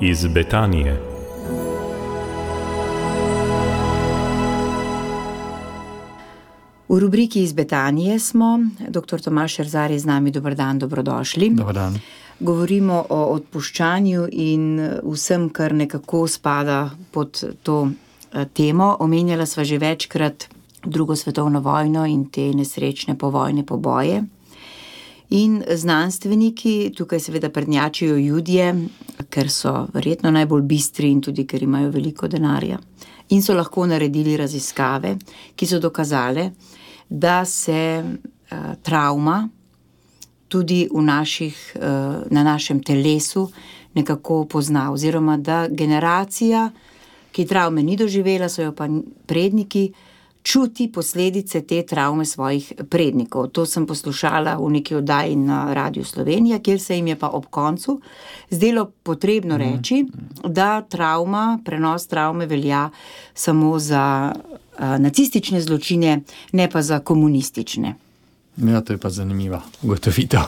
Iz Betanije. V rubriki Iz Betanije smo. Dr. Tomaž Šerzar je z nami. Dober dan, dobrodošli. Dober dan. Govorimo o odpuščanju in vsem, kar nekako spada pod to temo. Omenjala sva že večkrat Drugo svetovno vojno in te nesrečne povojne poboje. In znanstveniki tukaj seveda prednjačijo Judje, ker so verjetno najbolj bistri in tudi ker imajo veliko denarja. In so lahko naredili raziskave, ki so dokazale, da se travma tudi na našem telesu nekako pozna. Oziroma, da generacija, ki travme ni doživela, so jo pa predniki, čuti posledice te travme svojih prednikov. To sem poslušala v neki oddaji na Radiu Slovenija, kjer se jim je pa ob koncu zdelo potrebno reči, da prenos travme velja samo za nacistične zločine, ne pa za komunistične. Ja, to je pa zanimiva ugotovitev.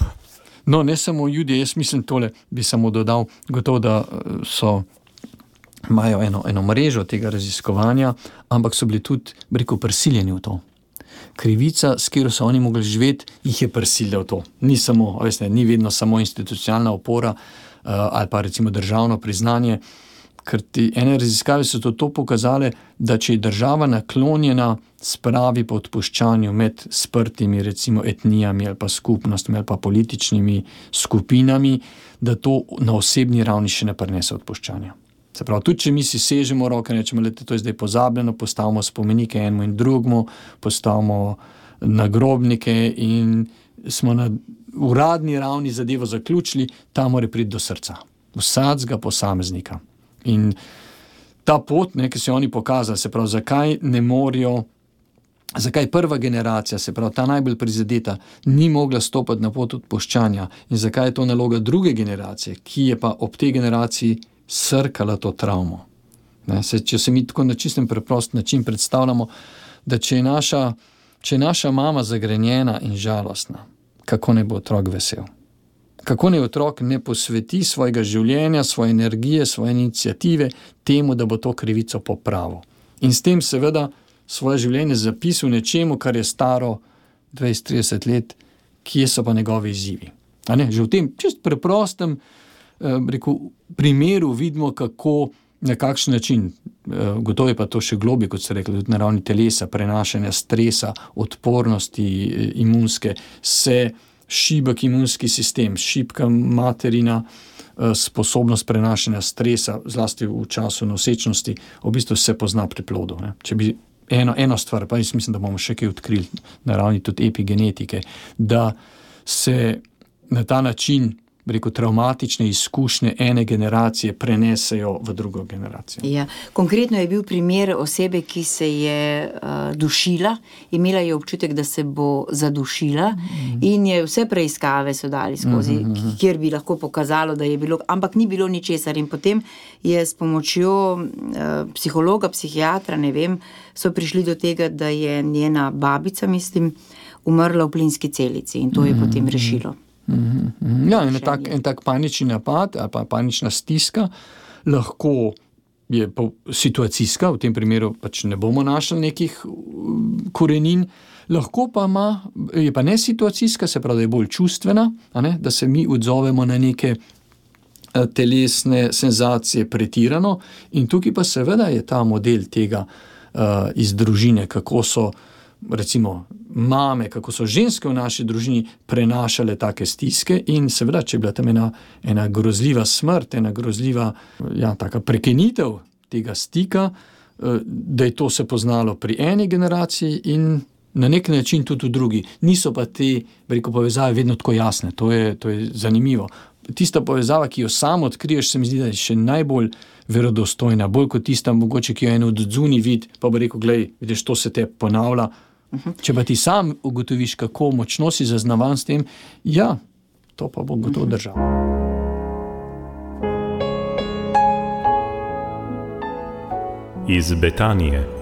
No, ne samo Judje, jaz mislim tole, bi samo dodal, gotovo, da imajo eno mrežo tega raziskovanja, ampak so bili tudi, prisiljeni v to. Krivica, s katero so oni mogli živeti, jih je prisilila v to. Ni vedno samo institucionalna opora ali pa recimo državno priznanje, ker ene raziskave so to pokazale, da če je država naklonjena spravi po odpuščanju med sprtimi recimo etnijami ali pa skupnostmi ali pa političnimi skupinami, da to na osebni ravni še ne prinese odpuščanja. Se pravi, tudi če mi si sežemo roke, rečemo, da to je zdaj pozabljeno, postavimo spomenike enemu in drugemu, postavimo nagrobnike in smo na uradni ravni zadevo zaključili, ta mora priti do srca. Vsakega posameznika. In ta pot, ki so oni pokazali, se pravi, zakaj prva generacija, se pravi, ta najbolj prizadeta, ni mogla stopiti na pot odpuščanja in zakaj je to naloga druge generacije, ki je pa ob tej generaciji srkala to travmo. Če se mi tako na čistem preprost način predstavljamo, da če je naša mama zagrenjena in žalostna, kako ne bo otrok vesel? Kako ne otrok ne posveti svojega življenja, svoje energije, svoje iniciative temu, da bo to krivico popravil. In s tem seveda svoje življenje zapisal nečemu, kar je staro 20-30 let, kje so pa njegovi izzivi. Že v tem čist preprostem primeru vidimo, kako, na kakšen način, gotovo je pa to še globje, kot ste rekli, tudi na ravni telesa, prenašanja stresa, odpornosti imunske, se šibek imunski sistem, šibka materina sposobnost prenašanja stresa, zlasti v času nosečnosti, v bistvu se pozna pri plodu. Če bi eno stvar, pa jaz mislim, da bomo še kaj odkrili na ravni tudi epigenetike, da se na ta način travmatične izkušnje ene generacije prenesejo v drugo generacijo. Ja. Konkretno je bil primer osebe, ki se je dušila, imela je občutek, da se bo zadušila in je vse preiskave so dali skozi, kjer bi lahko pokazalo, da je bilo, ampak ni bilo ničesar in potem je s pomočjo psihologa, psihiatra, ne vem, so prišli do tega, da je njena babica, mislim, umrla v plinski celici in to je potem rešilo. Ja, en tak panični napad ali pa panična stiska lahko je situacijska, v tem primeru pač ne bomo našli nekih korenin, lahko pa je pa ne situacijska, se pravi, da je bolj čustvena, da se mi odzovemo na neke telesne senzacije pretirano in tukaj pa seveda je ta model tega iz družine, kako so recimo mame, kako so ženske v naši družini prenašale take stiske in seveda, če je bila tam ena grozljiva smrt, ena grozljiva taka prekinitev tega stika, da je to se poznalo pri eni generaciji in na nek način tudi v drugi. Niso pa te povezave vedno tako jasne, to je zanimivo. Tista povezava, ki jo sam odkriješ, se mi zdi, da je še najbolj verodostojna, bolj kot tista mogoče, ki jo eno od zunaj vidi, pa bo rekel, glej, vidiš, to se te ponavlja. Če pa ti sam ugotoviš, kako močno si zaznavan s tem, ja, to pa bo gotovo držal. Iz Betanije.